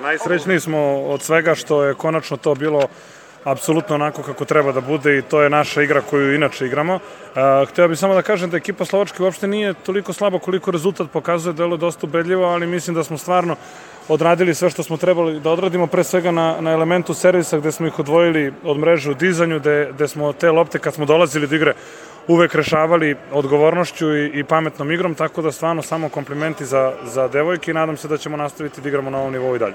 Najsrećniji smo od svega što je konačno to bilo apsolutno onako kako treba da bude i to je naša igra koju inače igramo. Hteo bih samo da kažem da ekipa Slovačke uopšte nije toliko slaba koliko rezultat pokazuje, delo je dosta ubedljivo, ali mislim da smo stvarno odradili sve što smo trebali da odradimo, pre svega na elementu servisa gde smo ih odvojili od mreže u dizanju, gde smo te lopte kad smo dolazili do igre uvek rešavali odgovornošću i pametnom igrom, tako da stvarno samo komplimenti za devojke i nadam se da ćemo nastaviti da igramo na ovom nivou i dalje.